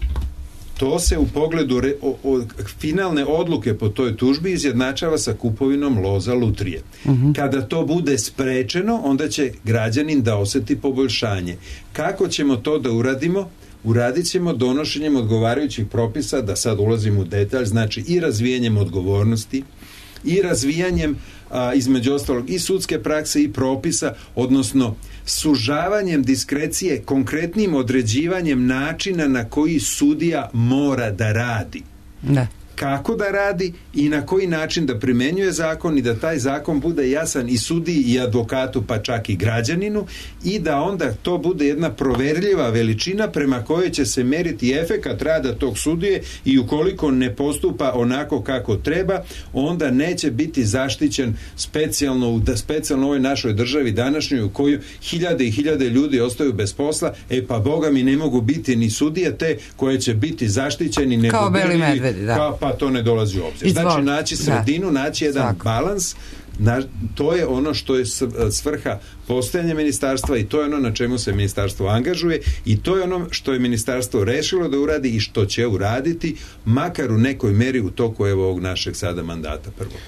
to se u pogledu re, o, o, finalne odluke po toj tužbi izjednačava sa kupovinom loza lutrije. Uh-huh. Kada to bude sprečeno, onda će građanin da osjeti poboljšanje. Kako ćemo to da uradimo? Uradit ćemo donošenjem odgovarajućih propisa, da sad ulazim u detalj, znači i razvijanjem odgovornosti, i razvijanjem a, između ostalog i sudske prakse i propisa, odnosno sužavanjem diskrecije, konkretnim određivanjem načina na koji sudija mora da radi. Da. Kako da radi i na koji način da primenjuje zakon i da taj zakon bude jasan i sudiji i advokatu, pa čak i građaninu, i da onda to bude jedna proverljiva veličina prema kojoj će se meriti efekat rada tog sudije i ukoliko ne postupa onako kako treba, onda neće biti zaštićen specijalno u da specijalno u ovoj našoj državi današnjoj u kojoj hiljade i hiljade ljudi ostaju bez posla, e pa boga mi ne mogu biti ni sudije te koje će biti zaštićeni nego kao beli medvedi, da. Kao pa to ne dolazi u obzir. Znači, naći sredinu, da. naći jedan Svako. balans, na, to je ono što je svrha postojanja ministarstva i to je ono na čemu se ministarstvo angažuje i to je ono što je ministarstvo rešilo da uradi i što će uraditi, makar u nekoj meri u toku evo ovog našeg sada mandata prvog.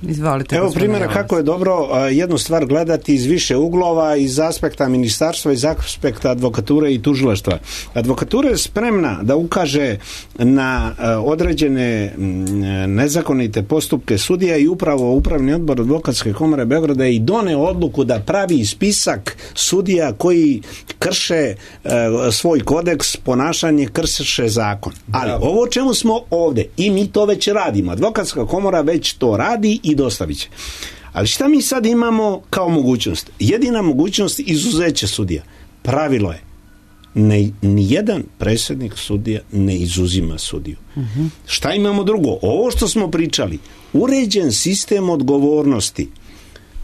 Izvolite, evo primjera kako je dobro jednu stvar gledati iz više uglova, iz aspekta ministarstva, iz aspekta advokature i tužilaštva. Advokatura je spremna da ukaže na određene nezakonite postupke sudija i upravo Upravni odbor Advokatske komore Beograda i doneo odluku da pravi spisak sudija koji krše svoj kodeks ponašanje, krše zakon. Ali ovo čemu smo ovde i mi to već radimo. Advokatska komora već to radi i dostavit će. Ali šta mi sad imamo kao mogućnost? Jedina mogućnost izuzeće sudija. Pravilo je ne, nijedan predsjednik sudija ne izuzima sudiju. Uh-huh. Šta imamo drugo? Ovo što smo pričali, uređen sistem odgovornosti,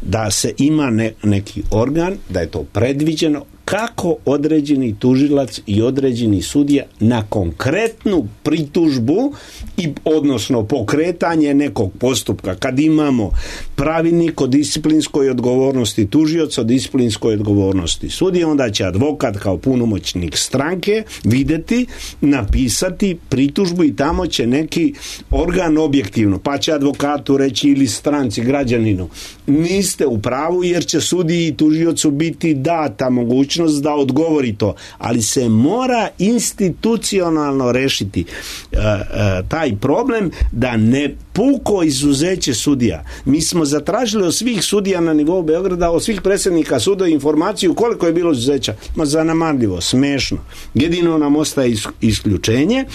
da se ima ne, neki organ, da je to predviđeno kako određeni tužilac i određeni sudija na konkretnu pritužbu i odnosno pokretanje nekog postupka, kad imamo pravilnik o disciplinskoj odgovornosti tužioca, o disciplinskoj odgovornosti sudije, onda će advokat kao punomoćnik stranke videti, napisati pritužbu i tamo će neki organ objektivno, pa će advokatu reći ili stranci, građaninu, niste u pravu jer će sudiji i tužiocu biti data mogućnost da odgovori to, ali se mora institucionalno rešiti uh, uh, taj problem da ne puko izuzeće sudija. Mi smo zatražili od svih sudija na nivou Beograda, od svih predsjednika suda informaciju koliko je bilo izuzeća. Ma zanemarljivo, smešno. Jedino nam ostaje isključenje.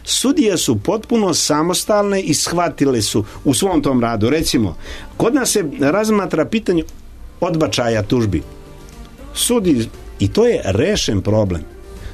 Sudije su potpuno samostalne i shvatile su u svom tom radu. Recimo, kod nas se razmatra pitanje odbačaja tužbi. Sudi, i to je rešen problem.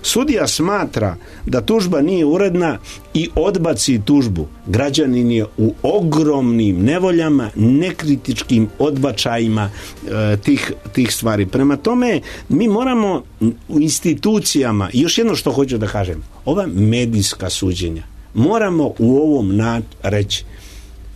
Sudija smatra da tužba nije uredna i odbaci tužbu. Građanin je u ogromnim nevoljama, nekritičkim odbačajima e, tih, tih stvari. Prema tome, mi moramo u institucijama, još jedno što hoću da kažem, ova medijska suđenja, moramo u ovom na, reći,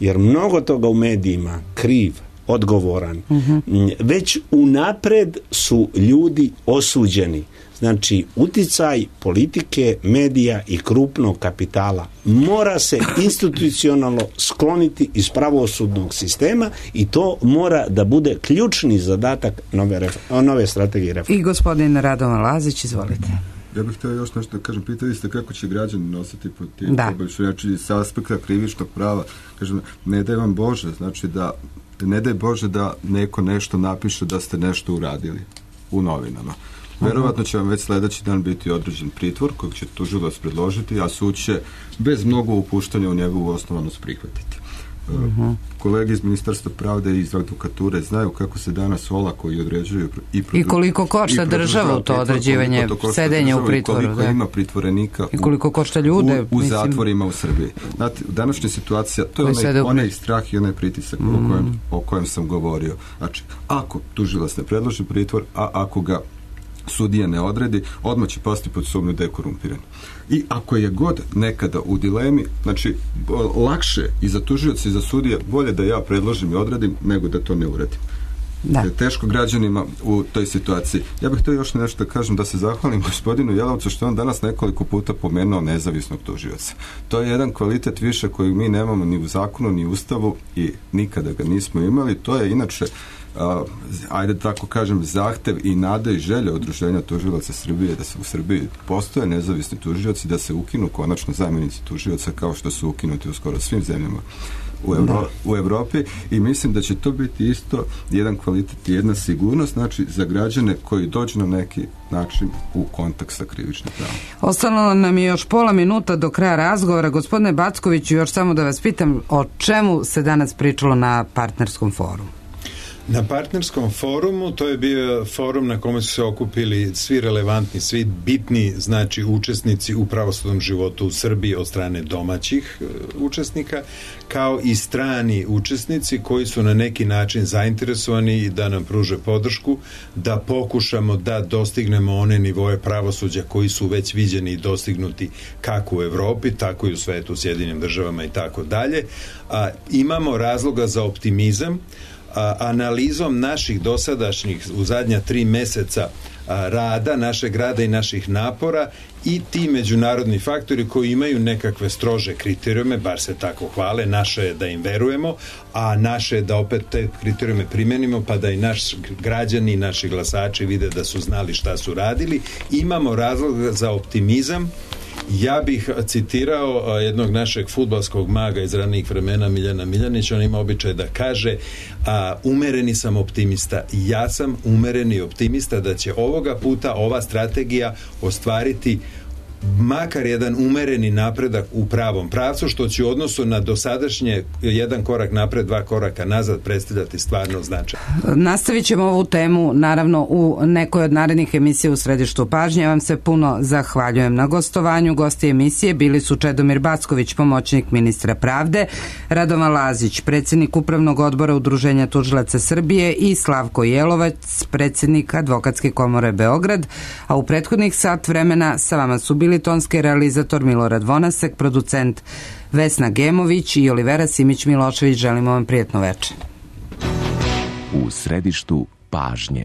jer mnogo toga u medijima kriv, odgovoran, uh-huh. već unapred su ljudi osuđeni. Znači, uticaj politike, medija i krupnog kapitala mora se institucionalno skloniti iz pravosudnog sistema i to mora da bude ključni zadatak nove, ref- nove strategije reforme. I gospodin Radovan Lazić, izvolite. Ja bih htio još nešto da kažem. Pitali ste kako će građani nositi pod tim poboljšanjem, znači sa aspekta krivičnog prava. Kažem, ne daj vam Bože, znači da ne daj Bože da neko nešto napiše da ste nešto uradili u novinama. Verovatno će vam već sljedeći dan biti određen pritvor kojeg će tužilac predložiti, a sud će bez mnogo upuštanja u njegovu osnovanost prihvatiti. Uh-huh. Kolege iz Ministarstva pravde i iz advokature znaju kako se danas olako i određuju i, produ... I koliko košta državu to određivanje, sedenje u pritvoru. I koliko da. ima pritvorenika i koliko košta ljude, u, u mislim... zatvorima u Srbiji. Znate, današnja situacija, to je onaj, onaj strah i onaj pritisak mm. o, kojem, o kojem sam govorio. Znači, ako tužilac ne predloži pritvor, a ako ga sudija ne odredi, odmah će pasti pod sumnju da je korumpiran. I ako je god nekada u dilemi, znači lakše i za tužioca i za sudije, bolje da ja predložim i odredim nego da to ne uradim. Da. Je teško građanima u toj situaciji. Ja bih htio još nešto da kažem, da se zahvalim gospodinu Jelovcu što on danas nekoliko puta pomenuo nezavisnog tužioca. To je jedan kvalitet više koji mi nemamo ni u zakonu, ni u ustavu i nikada ga nismo imali. To je inače Uh, ajde tako kažem, zahtev i nada i želja Udruženja tužilaca Srbije da se u Srbiji postoje nezavisni tužioci, da se ukinu konačno zamjenici tužioca kao što su ukinuti u skoro svim zemljama u, Evro- u Evropi i mislim da će to biti isto jedan kvalitet i jedna sigurnost, znači za građane koji dođu na neki način u kontakt sa krivičnim pravom. Ostalo nam je još pola minuta do kraja razgovora. Gospodine Backoviću, još samo da vas pitam o čemu se danas pričalo na partnerskom forumu? Na partnerskom forumu, to je bio forum na kome su se okupili svi relevantni, svi bitni, znači učesnici u pravosudnom životu u Srbiji od strane domaćih uh, učesnika, kao i strani učesnici koji su na neki način zainteresovani da nam pruže podršku, da pokušamo da dostignemo one nivoje pravosuđa koji su već viđeni i dostignuti kako u Evropi, tako i u svetu, u Sjedinjenim državama i tako dalje. A, imamo razloga za optimizam. A, analizom naših dosadašnjih u zadnja tri meseca a, rada, našeg rada i naših napora i ti međunarodni faktori koji imaju nekakve strože kriterijume, bar se tako hvale, naše je da im verujemo, a naše je da opet te kriterijume primenimo, pa da i naši građani i naši glasači vide da su znali šta su radili. Imamo razlog za optimizam. Ja bih citirao jednog našeg fudbalskog maga iz ranijih vremena, Miljana Miljanića. On ima običaj da kaže a, umereni sam optimista. Ja sam umereni optimista da će ovoga puta ova strategija ostvariti makar jedan umereni napredak u pravom pravcu, što će u odnosu na dosadašnje jedan korak napred, dva koraka nazad predstavljati stvarno značaj. Nastavit ćemo ovu temu naravno u nekoj od narednih emisija u središtu pažnje. Ja vam se puno zahvaljujem na gostovanju. Gosti emisije bili su Čedomir Backović, pomoćnik ministra pravde, Radovan Lazić, predsjednik Upravnog odbora Udruženja tužilaca Srbije i Slavko Jelovac, predsjednik Advokatske komore Beograd, a u prethodnih sat vremena sa vama su bili tonski realizator Milorad Vonasek, producent Vesna Gemović i Olivera Simić Milošević. Želimo vam prijetno večer. U središtu pažnje.